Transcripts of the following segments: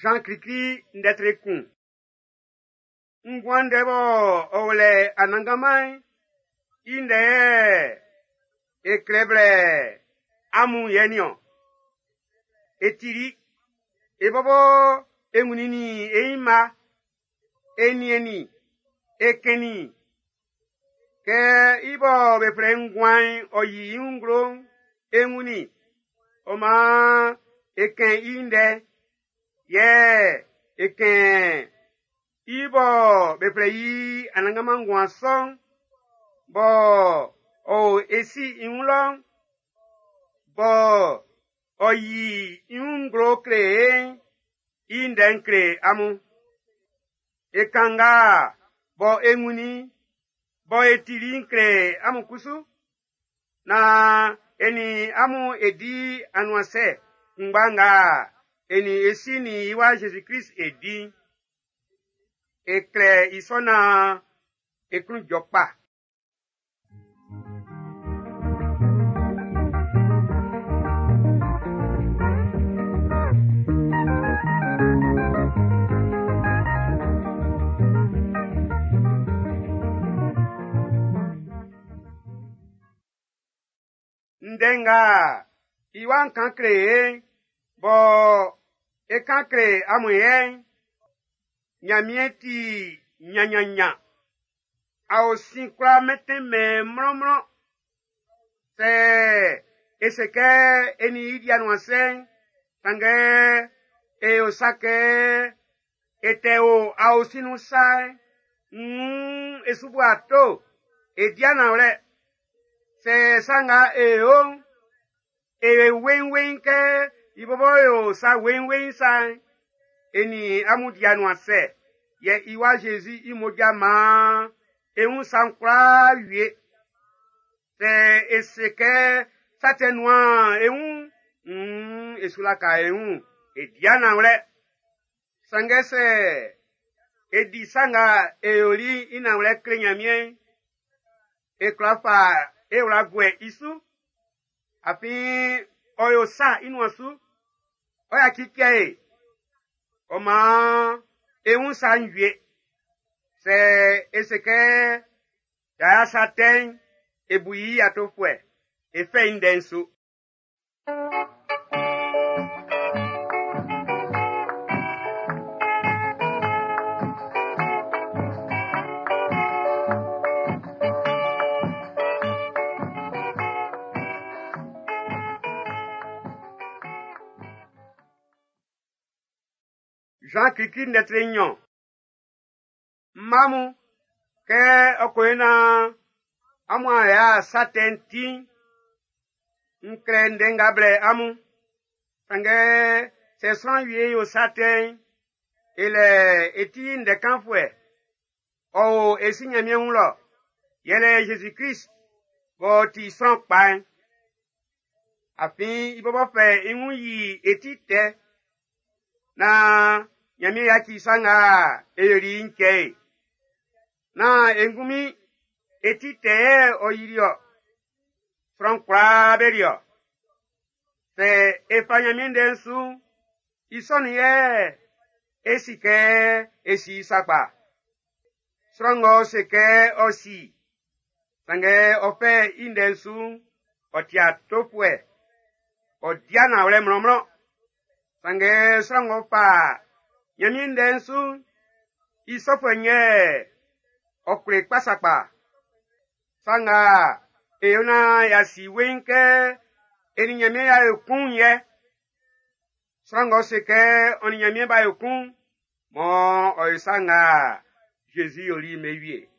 Zan klikli ndɛ tre kun. Nguan ndɛ bɔ ɔ o lɛ Anannganman'n, i ndɛ yɛ e klɛ blɛ amun yɛ nin-ɔn. E tili, e bɔbɔ e wunnin nin e nyinma, e niɛnnin, e kɛnnin i. Kɛ i bɔ be flɛ i nguan'n ɔ yi i wun nglo'n, e wunnin i, ɔ maan e kɛn i ndɛ, yɛ e kɛn i bɔ be flɛ i Anannganman nguan sɔ'n, bɔ ɔ o e Si i wun lɔ'n, bɔ ɔ yi i wun nglo kle e'n, i ndɛ'n kle amun. E kan nga bɔ e wunnin i'n, bɔ e tili'n kle amun kusu, naan e nin amun e di anuansɛ kunngba nga e nin e Si nin i Wa Zezi-Krist e di'n. E klɛ i sɔ naan e klun jɔ kpa. Ndɛ nga i Wa'n kan kle e'n, bɔ e kan kle amun yɛ'n, Nyanmiɛn ti nyannyannyan. Aosin kwlá mɛntɛn-mɛn mlɔnmlɔn. Sɛ e se kɛ e nin i di anuansɛ'n, sanngɛ e yo sa kɛ e tɛ o aosin nun sa'n, wuun e su bua ato, e di nanwlɛ. Sɛ sa nga e yo'n, e yo weiinweiin kɛ i bɔbɔ yo sa weiinweiin sa'n, e nin amun di anuansɛ, yɛ i Wa Zezi i mmoja maan e wun sa'n kwlaa wie. Sɛ e se kɛ sa tɛ nuan e wun'n, wuun e su laka e wun, e di nanwlɛ. Sanngɛ sɛ e di sa nga e yoli'n i nanwlɛ kle Nyanmiɛn'n, e kwla fa e wla guɛ i su, afin ɔ yo sa i nuan su, ɔ yaci cɛ e, ɔ maan e wun sa'n wie. Sɛ e se kɛ y'a ya sa tɛ'n, e bu i atofuɛ, e fɛ i ndɛ'n su. Zan klikli ndɛ tre nnyɔn. Mma mun, kɛ ɔ ko yo naan amun a ya sa tɛ'n ti'n, n klɛ ndɛ nga blɛ amun. Sanngɛ sɛ sran wie yo sa tɛ'n, e lɛ e ti ndɛ kanfuɛ. Ɔ o e Si Nyanmiɛn wun lɔ, yɛlɛ Zezi Krist b'ɔ ti sran kpa'n. Afin i bɔbɔ fɛ i wun yi e ti tɛ, naan Nyanmiɛn yaci sa nga e yoli i'n cɛ e. Nán e ngunmin e ti tɛ yɛ ɔ yili-ɔ, sran kwlaa be li-ɔ. Sɛ e fa Nyanmiɛn ndɛ'n su'n, i sɔ'n yɛ e si kɛ e si i sakpa. Sran ng'ɔ se kɛ ɔ si, sanngɛ ɔ fɛ i ndɛ'n su'n, ɔ ti atofuɛ, ɔ di nanwlɛ mlɔnmlɔn. Sanngɛ sran ng'ɔ fa Nyanmiɛn ndɛ'n su'n, i sɔfuɛ'n yɛ ɔ kle kpa sakpa. Sa nga e yo naan y'a si weiin kɛ e nin Nyanmiɛn y'a yo kun'n yɛ. Sran ng'ɔ se kɛ ɔ nin Nyanmiɛn b'a yo kun'n, mɔ ɔ yo sa nga Zezi yoli'n be wie.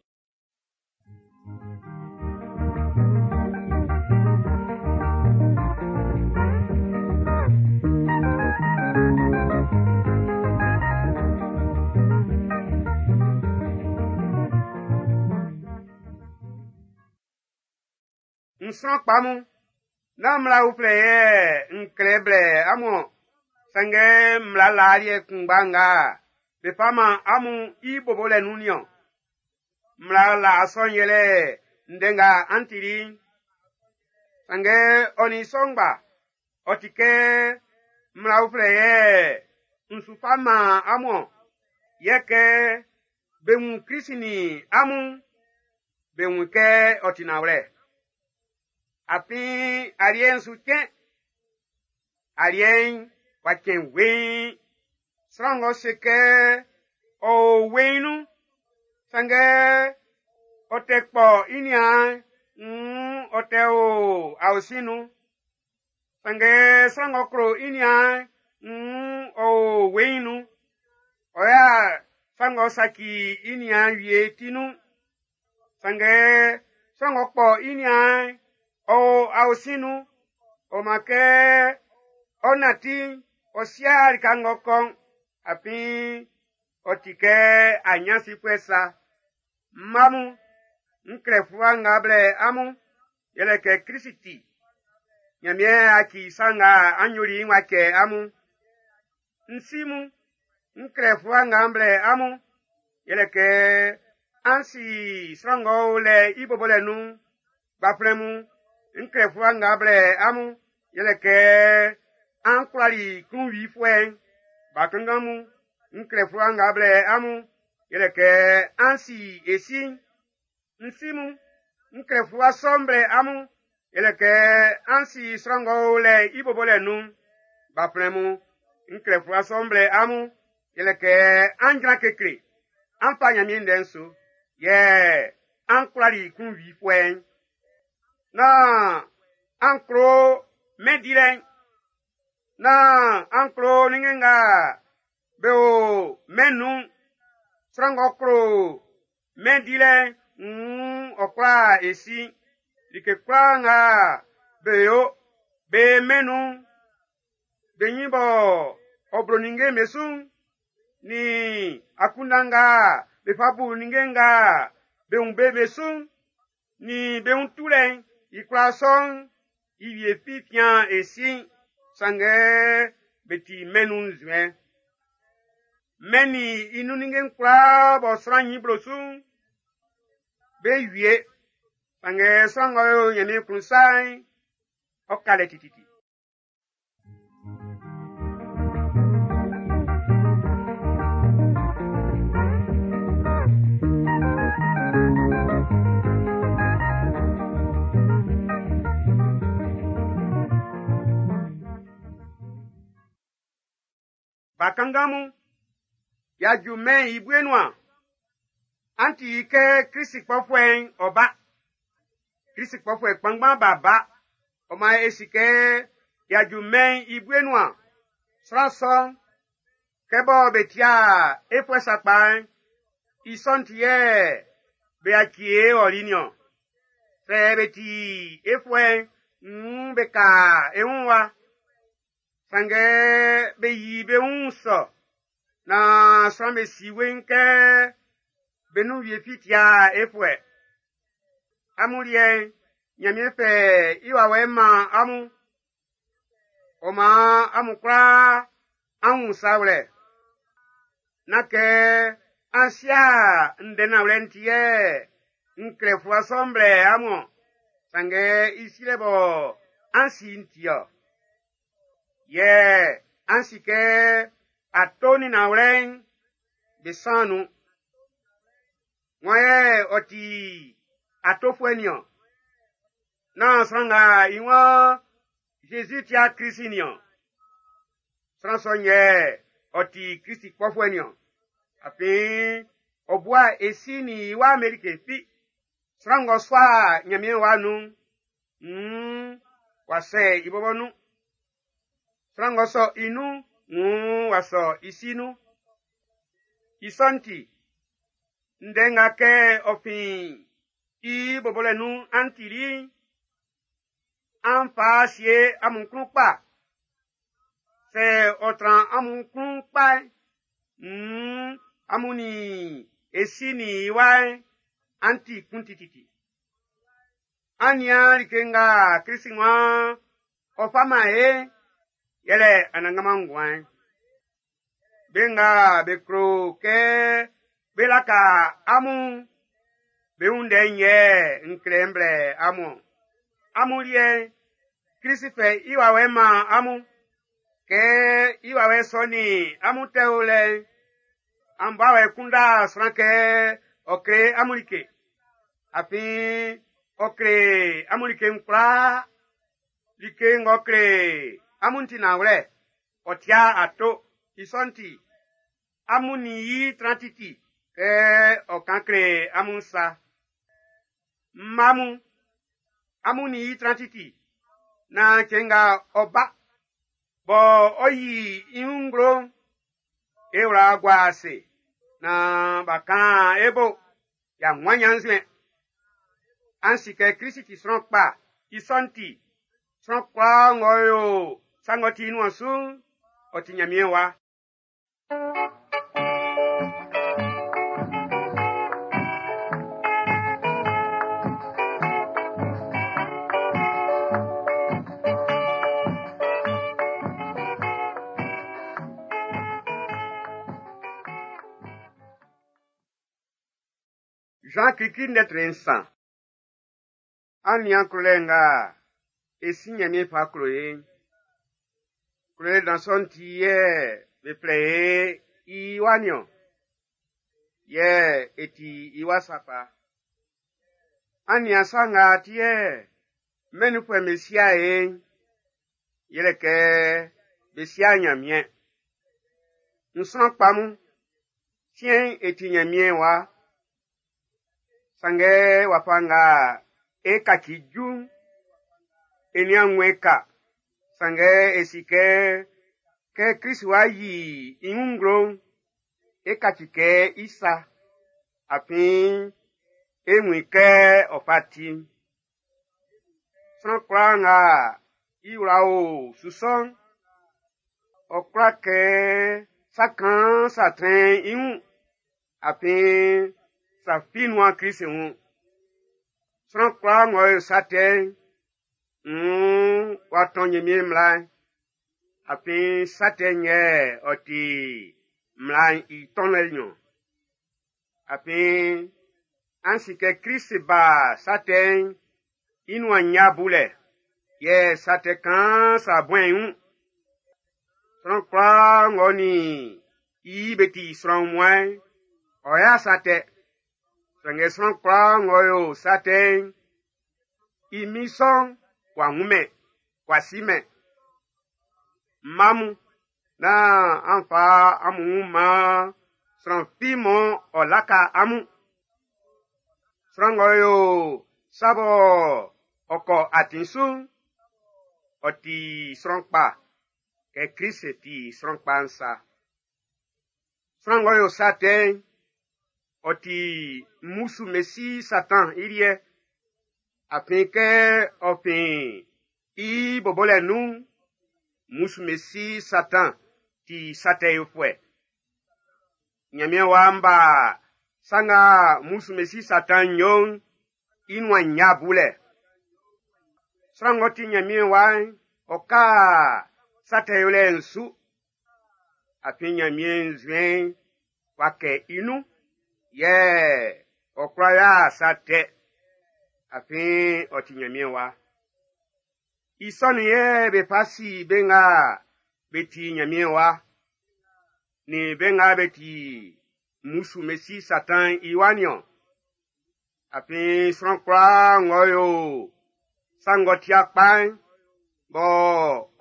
N sran kpa mun, nán mmla uflɛ yɛ n klɛ blɛ amun-ɔn, sanngɛ mmla laa liɛ kunngba nga be fa man amun i bobolɛ nun niɔn. Mmla laa sɔ'n yɛlɛ ndɛ nga an tili'n. Sanngɛ ɔ nin i sɔ ngba, ɔ ti kɛ mmla uflɛ yɛ n su fa man amun-ɔn. Yɛ kɛ be wun Krist nin amun'n, be wun kɛ ɔ ti nanwlɛ. Afin aliɛ'n su cɛn. Aliɛ'n w'a cɛn weiin. Sran ng'ɔ se kɛ ɔ o weiin nun'n, sanngɛ ɔ tɛ kpɔ i niaan'n, nn ɔ tɛ o aosin'n nun. Sanngɛ sran ng'ɔ klo i niaan'n, nn ɔ o weiin nun. Ɔ y'a sa ng'ɔ saci i niaan'n wie ti nun. Sanngɛ sran ng'ɔ kpɔ i niaan'n, ɔ o aosin'n nun. Ɔ maan kɛ ɔ nanti'n, ɔ sia lika ng'ɔ kɔ'n, afin ɔ ti kɛ aɲansifuɛ sa. Mma mun, n klɛ fluwa nga blɛ amun, yɛlɛ kɛ Klisi ti, Ɲanmiɛn a ci sa nga an yoli i'n w'a cɛ amun. N si mun, n klɛ fluwa nga n blɛ amun, yɛlɛ kɛ an si sran ng'ɔ o lɛ i bobolɛ nun'n. Gbanflɛn mun, n klɛ fluwa nga blɛ amun, yɛlɛ kɛ an kwlali klunwifuɛ'n. Bakanngan mun, n klɛ fluwa nga blɛ amun, yɛlɛ kɛ an si e Si'n. N si mun, n klɛ fluwa sɔ'n blɛ amun, yɛlɛ kɛ an si sran ng'ɔ o lɛ i bobolɛ nun'n. Gbanflɛn mun, n klɛ fluwa sɔ'n blɛ amun, yɛlɛ kɛ an jran kekle, an fa Ɲanmiɛn ndɛ'n su, yɛ an kwlali klunwifuɛ'n. Nán an klo mɛn dilɛ'n. Nán an klo ninnge nga be o mɛn nun'n. Sran ng'ɔ klo mɛn dilɛ'n, nn ɔ kwla e Si'n. Like kwlaa nga be yo be mɛn nun'n, be ɲin bɔ ɔ blo ninnge'm be su'n, nin akunndan nga be fa bu ninnge nga be wun be be su'n, nin be wun tulɛ'n, i kwlaa sɔ'n, i wie fi fian e Si'n, sanngɛ be ti mɛn nun nzuɛn. Mɛn'n nin i nun ninnge'n kwlaa bɔ sran ɲin blo su'n, be wie. Sanngɛ sran ng'ɔ yo Ɲanmiɛn klun sa'n, ɔ ka lɛ tititi. Bakanngan mun, y'a ju mɛn'n i bue nuan. An ti i kɛ Klisi kpɔfuɛ'n ɔ ba. Klisi kpɔfuɛ kpanngban b'a ba. Ɔ maan e si kɛ y'a ju mɛn'n i bue nuan. Sran sɔ'n, kɛ bɔ be tia e fuɛ sakpa'n, i sɔ'n ti yɛ be yaci e ɔli niɔn. Sɛ be ti e fuɛ'n, nn be ka e wun wa. Sanngɛ be yi be wun sɔ naan sran'm be si weiin kɛ be nun wie fi tia e fuɛ. Amun liɛ'n, Ɲanmiɛn fɛ i wawɛ'n man amun. Ɔ maan amun kwlaa an wun sa wlɛ. Nán kɛ an sia ndɛ nanwlɛ'n ti yɛ n klɛ fluwa sɔ'n blɛ amun-ɔn, sanngɛ i silɛ bɔ an si i'n ti-ɔ. Yɛ an si kɛ ato nin nanwlɛ'n be san nun. Wan yɛ ɔ ti atofuɛ niɔn? Nán sran nga i waan Zezi ti'a Klisi niɔn. Sran sɔ'n yɛ ɔ ti Klisi kpɔfuɛ niɔn. Afin ɔ bua e Si nin i Wa'n be like fi. Sran ng'ɔ sua Ɲanmiɛn Wa'n nun'n, nn w'a sɛ i bɔbɔ nun. Sran ng'ɔ sɔ i nun'n, nn w'a sɔ i Si nun. I sɔ'n ti, ndɛ nga kɛ ɔ fin i bobolɛ nun an tili'n, an fa sie amun klun kpa. Sɛ ɔ tran amun klun kpa'n, nn amun nin e Si nin i Wa'n an ti kun tititi. An nian like nga Klisi waan ɔ fa man e'n, yɛlɛ anannganman nguan'n. Be nga be klo kɛ bé láka amun'n, be wun ndɛ'n yɛ n klɛ n blɛ amun-ɔn. Amun liɛ'n, Klisi fɛ i wawɛ'n man amun. Kɛ i wawɛ sɔ nin amun tɛ o lɛ'n, an bɔ awɛ kunda sran kɛ ɔ kle amun like. Afin ɔ kle amun like kwlaa. Like ng'ɔ kle amun ti nanwlɛ, ɔ tia ato. I sɔ'n ti, amun nin i tran titi kɛ ɔ kan kle amun sa. Mma mun, amun nin i tran titi, naan cɛn nga ɔ ba, bɔ ɔ yi i wun nglo'n, e wla gua ase, naan b'a kan e bo, y'a wun ɲannzuɛn. An si kɛ Klisi ti sran kpa, i sɔ'n ti, sran kwlaa ng'ɔ yo sa ng'ɔ ti i nuan su'n, ɔ ti Ɲanmiɛn wa. Jean Kiki ndɛtre nsan. An nian klolɛ nga e si Ɲanmiɛn fa klo e'n. Klolɛ dan sɔ'n ti yɛ be flɛ e i wa niɔn. Yɛ e ti i wa sakpa. An nian sa nga ti yɛ mɛn'n nunfuɛ'm be sia e'n, yɛlɛ kɛ be sia Ɲanmiɛn. N sran kpa mun, siɛn'n e ti Ɲanmiɛn wa. Sanngɛ wafa nga e kaci ju'n, e nian wun e ka. Sanngɛ e si kɛ, kɛ Klist wá yí i wun nglo'n, e kaci kɛ i sa. Afin e wun i kɛ ɔ fa ti'n. Sran kwlaa nga i wla o su sɔ'n, ɔ kwla kɛ sa kaan sa trɛn i wun. Afin sa fi nuan Klist wun. Sran kwlaa ng'ɔ yo sa tɛ'n, nn w'a tɔn Ɲanmiɛn mmla'n. Afin sa tɛ'n yɛ ɔ ti mmla'n i tɔnlɛ niɔn. Afin an si kɛ Klist ba sa tɛ'n i nuan nnya bulɛ, yɛ sa tɛ kaan sa buɛn i wun. Sran kwlaa ng'ɔ nin i be ti sran wunmuan'n, ɔ y'a sa tɛ. Sanngɛ sran kwlaa ng'ɔ yo sa tɛ'n, i min sɔ'n w'a wunmɛn, w'a simɛn. Mma mun, nán an fa amun wun man sran fi mɔ ɔ laka amun. Sran ng'ɔ yo sa bɔ ɔ kɔ atin su'n, ɔ ti sran kpa kɛ Klist ti sran kpa'n sa. Sran ng'ɔ yo sa tɛ'n, ɔ ti mmusu mesi Satan i liɛ. Afin kɛ ɔ fin i bɔbɔlɛ nun'n, mmusu mesi Satan ti sa tɛ yofuɛ. Ɲanmiɛn waan b'a sa nga mmusu mesi Satan yo'n, i nuan nnya bulɛ. Sran ng'ɔ ti Ɲanmiɛn wa'n, ɔ ka sa tɛ yolɛ'n su. Afin Ɲanmiɛn nzuɛn'n w'a kɛ i nun, yɛ ɔ kwla ya sa tɛ. Afin ɔ ti Ɲanmiɛn wa. I sɔ'n yɛ be fa si be nga be ti Ɲanmiɛn wa, nin be nga be ti mmusu mesi Satan i wa niɔn. Afin sran kwlaa ng'ɔ yo sa ng'ɔ tia kpa'n, bɔ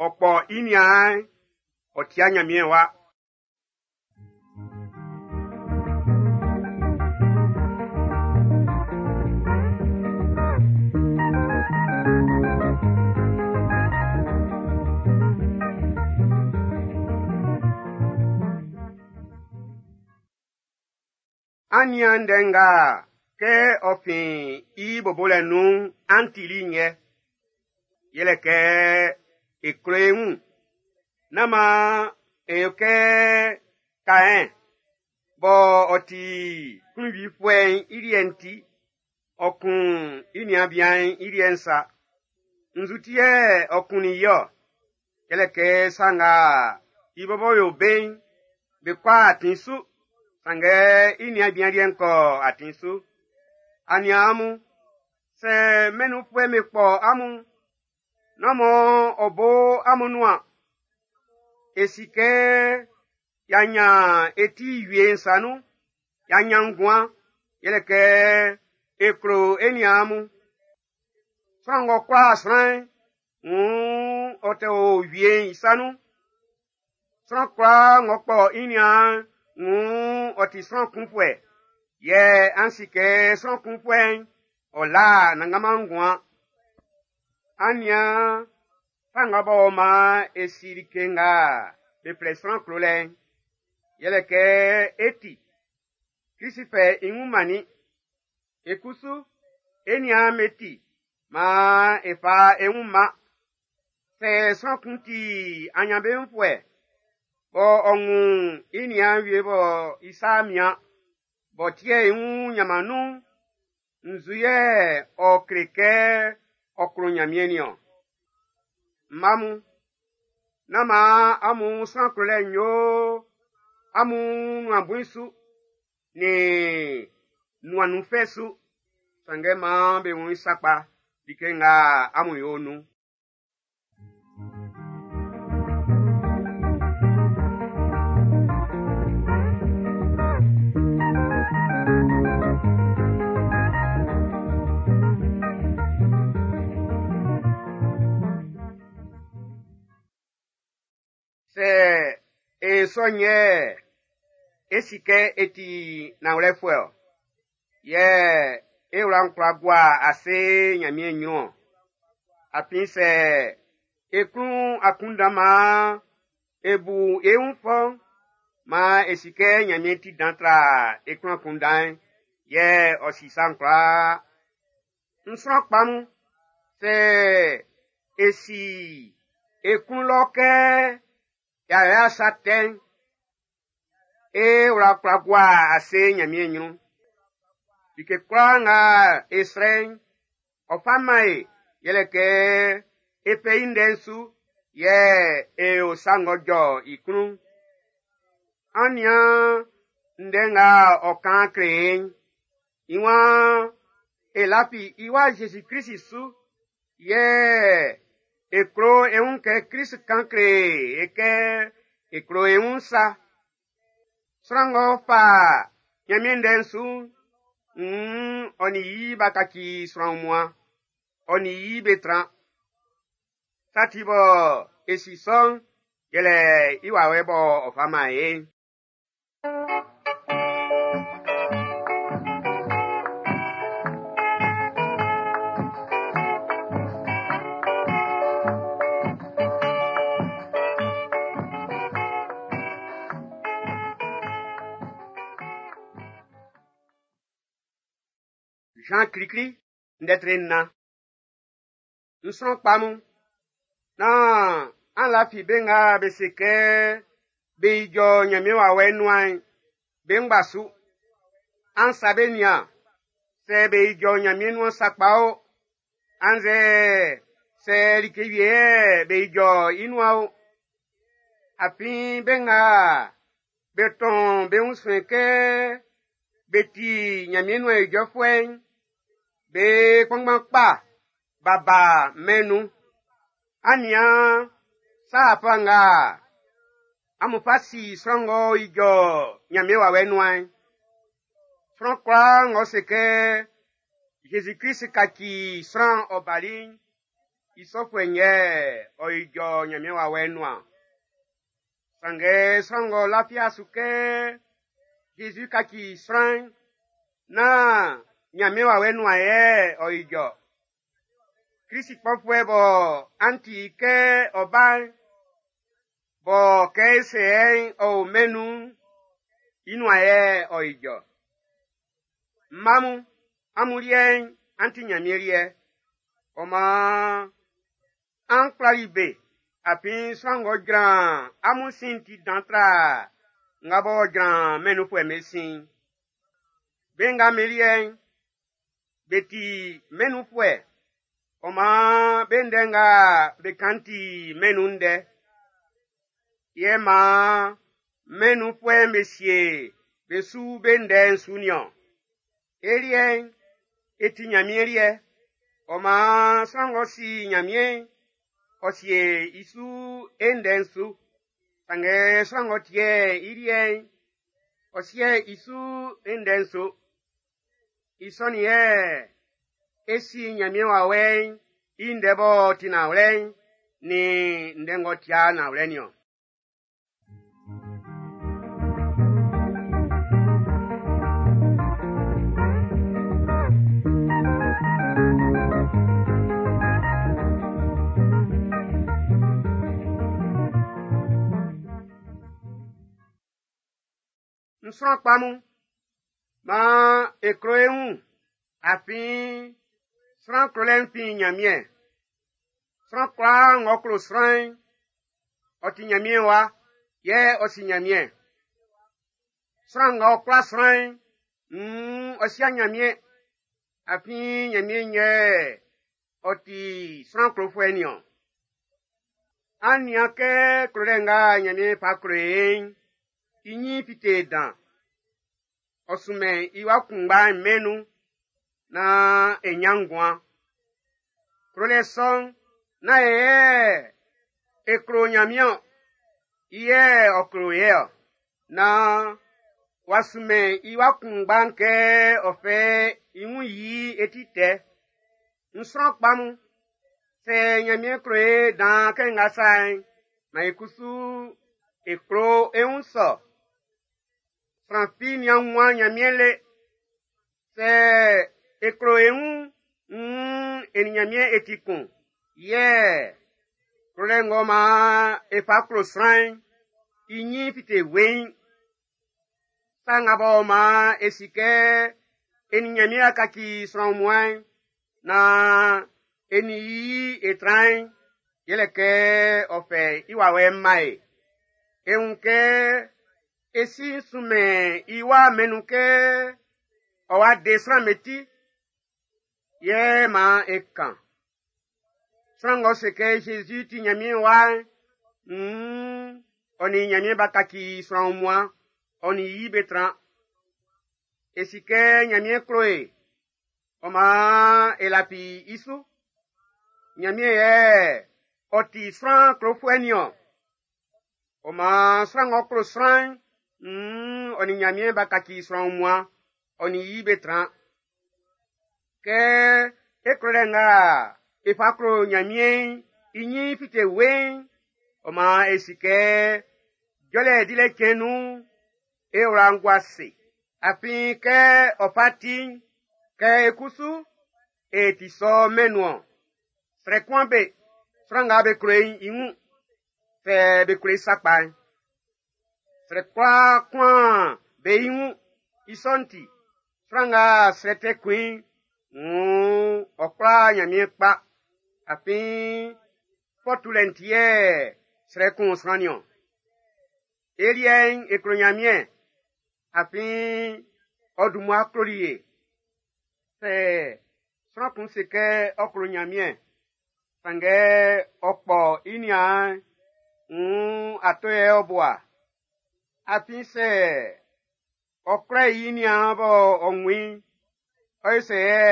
ɔ kpɔ i niaan'n, ɔ tia Ɲanmiɛn wa. An nian ndɛ nga kɛ ɔ fin i bobolɛ nun'n an tili'n yɛ. Yɛlɛ kɛ e klo e wun. Nán maan e yo kɛ Kaɛn bɔ ɔ ti klunwifuɛ'n i liɛ'n ti, ɔ kun i niaan bian'n i liɛ'n sa. Nzu ti yɛ ɔ kunnin i-ɔ? Yɛlɛ kɛ sa nga i bɔbɔ yo be'n, be kɔ atin su, sanngɛ i niaan bian liɛ'n kɔ atin su. Aniaan mun, sɛ mɛn'n nunfuɛ'm be kpɔ amun'n, nán mɔ ɔ bo amun nuan. E si kɛ y'a nyan e ti wie'n sa nun, y'a nyan nguan, yɛlɛ kɛ e klo e niaan mun. Sran ng'ɔ kwla sran'n, wuun ɔ tɛ o wie'n i sa nun. Sran kwlaa ng'ɔ kpɔ i niaan'n, wuun ɔ ti sran kunfuɛ, yɛ an si kɛ sran kunfuɛ'n, ɔ la Anannganman nguan. An nian sa nga b'ɔ man e si like nga be flɛ sran klolɛ'n, yɛlɛ kɛ e ti, Krist fɛ i wun mannin. E kusu, e niaan'm be ti, maan e fa e wun man. Sɛ sran kun ti anyanbeunfuɛ, bɔ ɔ wun i niaan wie bɔ i sa mian, b'ɔ ti'ɛ i wun nyanman nun'n, nzu yɛ ɔ kle kɛ ɔ klo Nyanmiɛn nin-ɔn? Mma mun, nán maan amun sran klolɛ'n yo amun nuan bui su nin nuan nun fɛ su, sanngɛ maan be wun i sakpa like nga amun yo'n nun. Sɛ e sɔ'n yɛ e si kɛ e ti nanwlɛfuɛ-ɔ, yɛ e wla'n kwla gua ase Nyanmiɛn nyrun-ɔn. Afin sɛ e klun akunndan maan e bu e wun fɔ'n, maan e si kɛ Nyanmiɛn ti dan tra e klun akunndan'n, yɛ ɔ si sa'n kwlaa. N sran kpa mun, sɛ e si e klun lɔ kɛ y'a yo sa tɛ'n, e wla kwla gua ase Nyanmiɛn nyrun. Like kwlaa nga e srɛ'n, ɔ fa man e, yɛlɛ kɛ e fɛ i ndɛ'n su, yɛ e yo sa ng'ɔ jɔ i klun. An nian ndɛ nga ɔ kan kle e'n. I waan e lafi i wa Zezi Krist su, yɛ e klo e wun kɛ Krist kan kle e kɛ e klo e wun sa. Sran ng'ɔ fa Nyanmiɛn ndɛ'n su'n, wuun ɔ nin i b'a kaci sran wunmuan, ɔ nin i be tran. Sa ti bɔ e si sɔ'n, yɛlɛ i wawɛ bɔ ɔ fa man e'n. Jean Klikli, ndɛ tre nnan. N sran kpa mun, nán an lafi be nga be se kɛ be ijɔ Nyanmiɛn wawɛ'n nuan'n, be ngba su. An sa be nian, sɛ be ijɔ Nyanmiɛn nuan sakpa o, annzɛ sɛ like wie yɛ be ijɔ i nuan o. Afin be nga be tɔn be wun suɛn kɛ be ti Nyanmiɛn nuan ijɔfuɛ'n, be kpanngban kpa b'a ba mɛn'n nun. An nian sa afa nga amun fa si sran ng'ɔ ijɔ Nyanmiɛn wawɛ'n nuan'n. Sran kwlaa ng'ɔ se kɛ Zezi Krist kaci sran ɔ bali'n, i sɔfuɛ'n yɛ ɔ ijɔ Nyanmiɛn wawɛ'n nuan. Sanngɛ sran ng'ɔ lafi su kɛ Zezi kaci sran'n, nán Nyanmiɛn wawɛ'n nuan yɛ ɔ ijɔ. Krist kpɔfuɛ bɔ an ti kɛ ɔ ba'n, bɔ kɛ e se yɛ'n ɔ o mɛn'n nun'n, i nuan yɛ ɔ ijɔ. Mma mun, amun liɛ'n, an ti Nyanmiɛn liɛ. Ɔ maan, an kwlali be, afin sran ng'ɔ jran amun sin'n ti dan tra nga b'ɔ jran mɛn'n nunfuɛ'm be sin'n. Be nga be liɛ'n, be ti mɛn'n nunfuɛ, ɔ maan be ndɛ nga be kan ti mɛn'n nun ndɛ. Yɛ maan mɛn'n nunfuɛ'm be sie be su be ndɛ'n su niɔn. E liɛ'n, e ti Nyanmiɛn liɛ, ɔ maan sran ng'ɔ si Nyanmiɛn'n, ɔ sie i su e ndɛ'n su. Sanngɛ sran ng'ɔ tie i liɛ'n, ɔ sie i su ndɛ'n su. I sɔ'n yɛ e si Ɲanmiɛn wawɛ'n i ndɛ b'ɔ ti nanwlɛ'n nin ndɛ ng'ɔ tia nanwlɛ'n niɔn. N sran kpa mun, maan e klo e wun, afin sran klolɛ'n fin Ɲanmiɛn. Sran kwlaa ng'ɔ klo sran'n, ɔ ti Ɲanmiɛn wa, yɛ ɔ si Ɲanmiɛn. Sran ng'ɔ kwla sran'n, nn ɔ si'a Ɲanmiɛn, afin Ɲanmiɛn yɛ ɔ ti sran klofuɛ'n niɔn. An nian kɛ klolɛ nga Ɲanmiɛn fa klo e'n, i ɲin fite dan. Ɔ sunmɛn i wa kunngba'n mɛn'n nun naan e ɲan nguan. Klolɛ sɔ'n, nán e yɛ e klo Ɲanmiɛn i yɛ ɔ klo e ɔ. Naan w'a sunmɛn i wa kunngba'n kɛ ɔ fɛ i wun yi e ti tɛ. N sran kpa mun, sɛ Ɲanmiɛn klo e dan kɛ nga sa'n, maan e kusu e klo e wun sɔ. Sran fi nian wunman Ɲanmiɛn le. Sɛ e klo e wun'n, nn e nin Ɲanmiɛn e ti kun. Yɛ klolɛ ng'ɔ maan e fa klo sran'n, i ɲin fite weiin. Sa nga b'ɔ maan e si kɛ e nin Ɲanmiɛn a kaci sran wunmuan'n, naan e nin i e tran'n, yɛlɛ kɛ ɔ fɛ i wawɛ'n man e. E wun kɛ e si sunmɛn i wa mɛn'n nun kɛ ɔ wa de sran'm be ti, yɛ maan e kan. Sran ng'ɔ se kɛ Zezi ti Ɲanmiɛn wa'n, nn ɔ nin Ɲanmiɛn b'a kaci sran wunmuan, ɔ nin i be tran. E si kɛ Ɲanmiɛn klo e, ɔ maan e lafi i su. Ɲanmiɛn yɛ ɔ ti sran klofuɛ'n niɔn. Ɔ maan sran ng'ɔ klo sran'n, nn ɔ nin Ɲanmiɛn b'a kaci sran wunmuan, ɔ nin i be tran. Kɛ e klolɛ nga e fa klo Ɲanmiɛn'n i ɲin fite weiin'n, ɔ maan e si kɛ jɔlɛ dilɛ cɛn nun'n, e wla'n gua ase. Afin kɛ ɔ fa ti'n, kɛ e kusu e ti sɔ mɛn'n nun-ɔn. Srɛ kunman be, sran nga be klo i'n i wun, sɛ be klo i sakpa'n. Srɛ kwla kunman be i wun, i sɔ'n ti, sran nga srɛ tɛ kun i'n, nn ɔ kwla Ɲanmiɛn kpa. Afin fɔ tulɛ'n ti yɛ srɛ kun sran niɔn. E liɛ'n e klo Ɲanmiɛn, afin ɔ dun mmua kloli e. Sɛ sran kun se kɛ ɔ klo Ɲanmiɛn, sanngɛ ɔ kpɔ i niaan'n, nn ato yɛ ɔ bua. Afin sɛ ɔ kwlɛ i niaan bɔ ɔ wun i'n, ɔ yo sɛ yɛ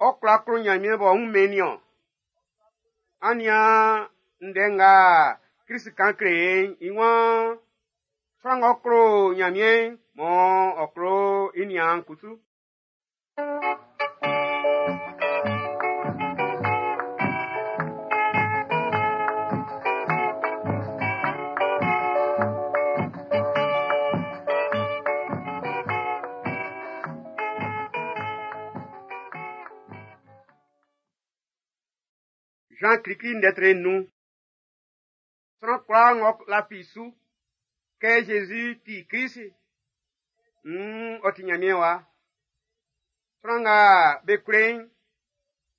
ɔ kwla klo Ɲanmiɛn b'ɔ wunmɛn i'n niɔn? An nian ndɛ nga Klist kan kle e'n, i waan, sran ng'ɔ klo Ɲanmiɛn'n, mɔ ɔ klo i niaan'n kusu. Jean klikli ndɛ tre nun. Sran kwlaa ng'ɔ lafi su kɛ Zezi ti Klist, nn ɔ ti Ɲanmiɛn wa. Sran nga be klo i'n,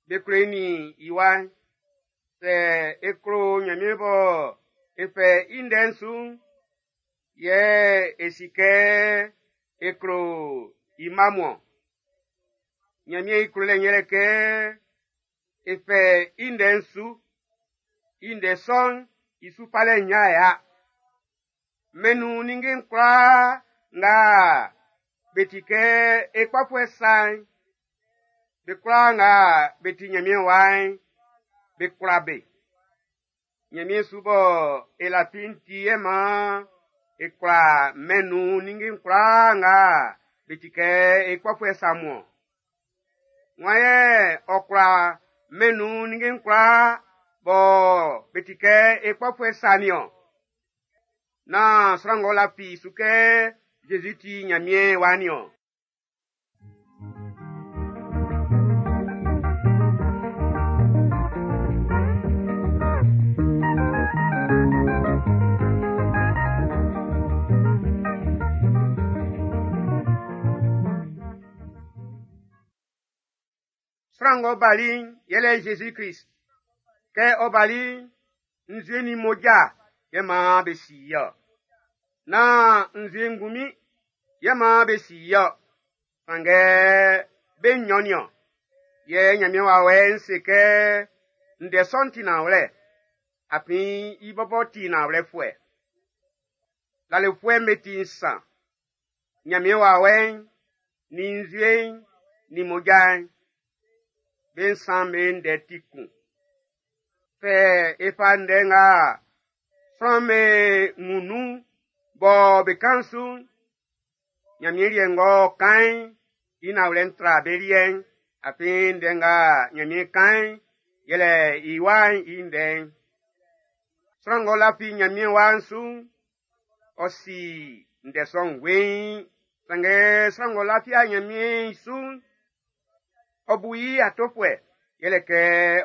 be klo i nin i wa'n. Sɛ e klo Ɲanmiɛn bɔ e fɛ i ndɛ'n su'n, yɛ e si kɛ e klo i mma mun-ɔn. Ɲanmiɛn i klolɛ'n yɛlɛ kɛ e fɛ i ndɛ'n su. I ndɛ sɔ'n i su falɛ'n ɲan ya. Mɛn'n nun ninnge'n kwlaa nga be ti kɛ e kpɔfuɛ sa'n, be kwlaa nga be ti Ɲanmiɛn wa'n, be kwla be. Nyanmiɛn su bɔ e lafi'n ti yɛ maan e kwla mɛn nun ninnge'n kwlaa nga be ti kɛ e kpɔfuɛ sa mun-ɔn. Wan yɛ ɔ kwla mɛn nun ninnge'n kwlaa bɔ be ti kɛ e kpɔfuɛ sa nin-ɔn? Nán sran ng'ɔ lafi su kɛ Zezi ti Nyanmiɛn wa nin-ɔn. Sran ng'ɔ bali'n yɛlɛ Zezi Krist. Kɛ ɔ bali'n, nzue nin mmoja yɛ maan be si i-ɔ. Nán nzue ngunmin yɛ maan be si i-ɔ, sanngɛ be nnyɔn nin-ɔn. Yɛ Nyanmiɛn wawɛ'n se kɛ ndɛ sɔ'n ti nanwlɛ, afin i bɔbɔ ti nanwlɛfuɛ. Lalofuɛ'm be ti nsan, Nyanmiɛn wawɛ'n, nin nzue'n, nin mmoja'n. Be nsan be ndɛ ti kun. Sɛ e fa ndɛ nga sran'm be wun nun bɔ be kan su'n, Nyanmiɛn liɛ ng'ɔ kan'n, i nanwlɛ'n tra be liɛ'n, afin ndɛ nga Nyanmiɛn kan'n, yɛlɛ i wa'n i ndɛ'n. Sran ng'ɔ lafi Nyanmiɛn wa'n su'n, ɔ si ndɛ sɔ'n weiin. Sanngɛ sran ng'ɔ lafi Nyanmiɛn su'n, ɔ bu i atofuɛ, yɛlɛ kɛ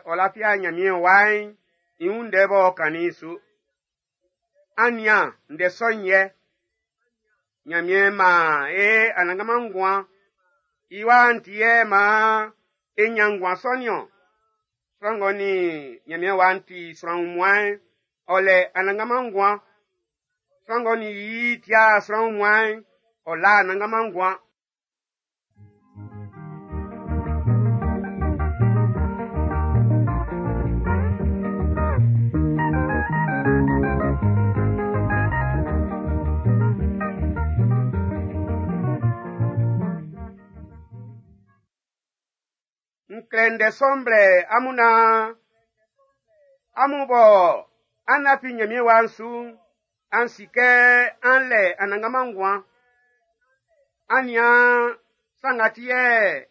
ɔ lafi Nyanmiɛn wa'n i wun ndɛ b'ɔ kannin'n su. An nian ndɛ sɔ'n yɛ. Nyanmiɛn maan e anannganman nguan. I wa'n ti yɛ maan e nyan nguan sɔ nin-ɔn. Sran ng'ɔ nin Nyanmiɛn wa'n ti sran wunmuan'n, ɔ lɛ anannganman nguan. Sran ng'ɔ nin i ti'a sran wunmuan'n, ɔ la anannganman nguan. N klɛ ndɛ sɔ'n blɛ amun naan amun bɔ an lafi Nyanmiɛn wa'n su'n, an si kɛ an lɛ anannganman nguan. An nian sa nga ti yɛ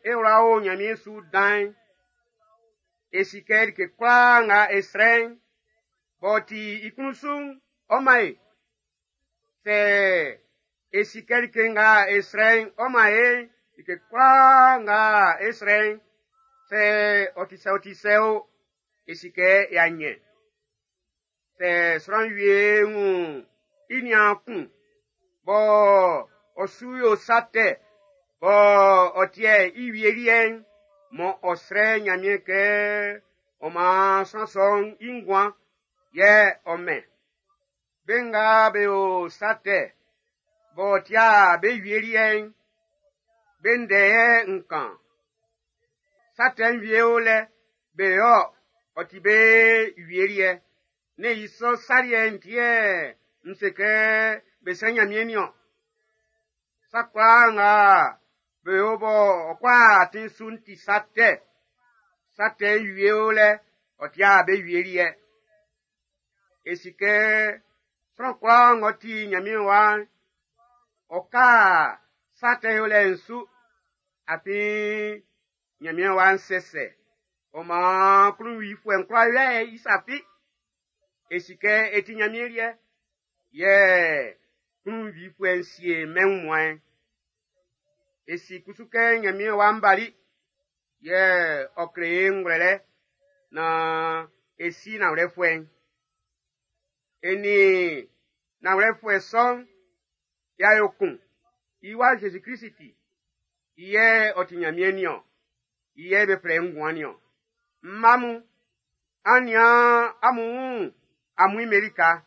e wla o Nyanmiɛn su dan'n. E si kɛ like kwlaa nga e srɛ'n, b'ɔ ti i klun su'n, ɔ man e. Sɛ e si kɛ like nga e srɛ'n ɔ man e'n, like kwlaa nga e srɛ'n, sɛ ɔ ti sɛ ɔ ti sɛ o, e si kɛ e a nyɛn. Sɛ sran wie wun i niaan kun bɔ ɔ su yo sa tɛ bɔ ɔ tiɛ i wie liɛ'n, mɔ ɔ srɛ Nyanmiɛn kɛ ɔ man sran sɔ'n i nguan, yɛ ɔ mɛn. Be nga be yo sa tɛ b'ɔ tia be wie liɛ'n, be ndɛ yɛ n kan. Sa tɛ'n wie o lɛ, be yo ɔ ti be wie liɛ. Ne i sɔ sa liɛ'n ti yɛ n se kɛ be srɛ Nyanmiɛn nin-ɔn. Sa kwlaa nga be yo bɔ ɔ kɔ atin su'n ti sa tɛ. Sa tɛ'n wie o lɛ, ɔ tia be wie liɛ. E si kɛ sran kwlaa ng'ɔ ti Nyanmiɛn wa'n, ɔ ka sa tɛ yolɛ'n su, afin Nyanmiɛn wa'n sɛsɛ. Ɔ maan klunwifuɛ'n kwla yoɛ i sa fi. E si kɛ e ti Nyanmiɛn liɛ, yɛ klunwifuɛ'n sie mɛn wunmuan'n. E si kusu kɛ Nyanmiɛn wa'n bali, yɛ ɔ kle e ngwlɛlɛ naan e si nanwlɛfuɛ'n. E nin nanwlɛfuɛ sɔ'n y'a yo kun. I wa Zezi Krist ti. I yɛ ɔ ti Nyanmiɛn nin-ɔn. I yɛ be flɛ nguan nin-ɔn. Mma mun, an nian amun wun amuin'm be lika.